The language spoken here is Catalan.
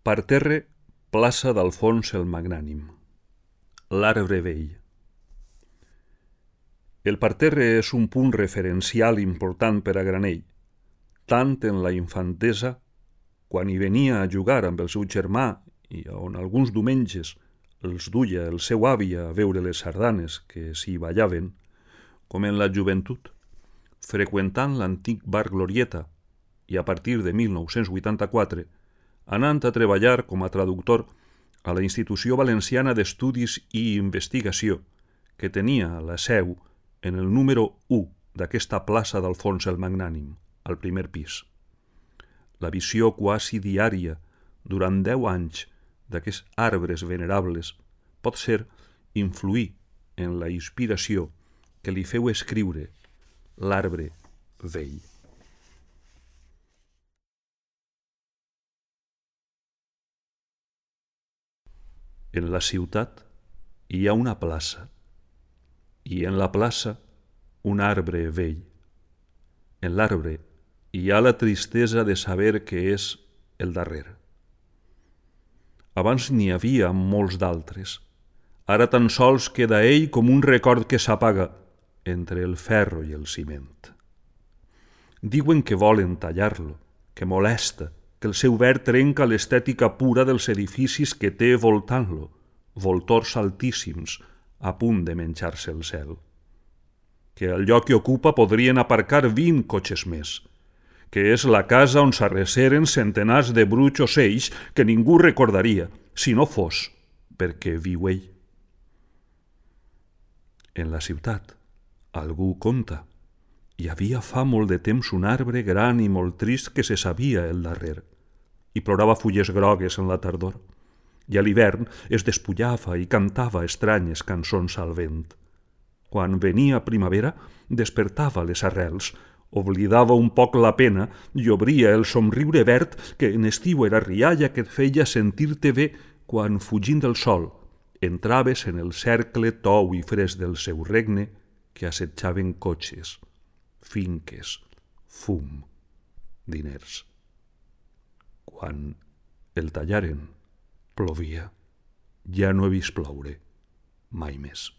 Parterre, plaça d'Alfons el Magnànim. L'arbre vell. El parterre és un punt referencial important per a Granell, tant en la infantesa, quan hi venia a jugar amb el seu germà i on alguns diumenges els duia el seu avi a veure les sardanes que s'hi ballaven, com en la joventut, freqüentant l'antic bar Glorieta i a partir de 1984 anant a treballar com a traductor a la Institució Valenciana d'Estudis i Investigació, que tenia la seu en el número 1 d'aquesta plaça d'Alfons el Magnànim, al primer pis. La visió quasi diària durant 10 anys d'aquests arbres venerables pot ser influir en la inspiració que li feu escriure L'arbre vell. En la ciutat hi ha una plaça, i en la plaça un arbre vell. En l'arbre hi ha la tristesa de saber que és el darrer. Abans n'hi havia molts d'altres. Ara tan sols queda ell com un record que s'apaga entre el ferro i el ciment. Diuen que volen tallar-lo, que molesta, que el seu verd trenca l'estètica pura dels edificis que té voltant-lo, voltors altíssims, a punt de menjar-se el cel. Que al lloc que ocupa podrien aparcar 20 cotxes més, que és la casa on s'arreceren centenars de bruts ocells que ningú recordaria, si no fos perquè viu ell. En la ciutat, algú conta, hi havia fa molt de temps un arbre gran i molt trist que se sabia el darrer, i plorava fulles grogues en la tardor, i a l'hivern es despullava i cantava estranyes cançons al vent. Quan venia primavera, despertava les arrels, oblidava un poc la pena i obria el somriure verd que en estiu era rialla que et feia sentir-te bé quan, fugint del sol, entraves en el cercle tou i fresc del seu regne que assetjaven cotxes, finques, fum, diners. Quan el tallaren, plovia. Ja no he vist ploure mai més.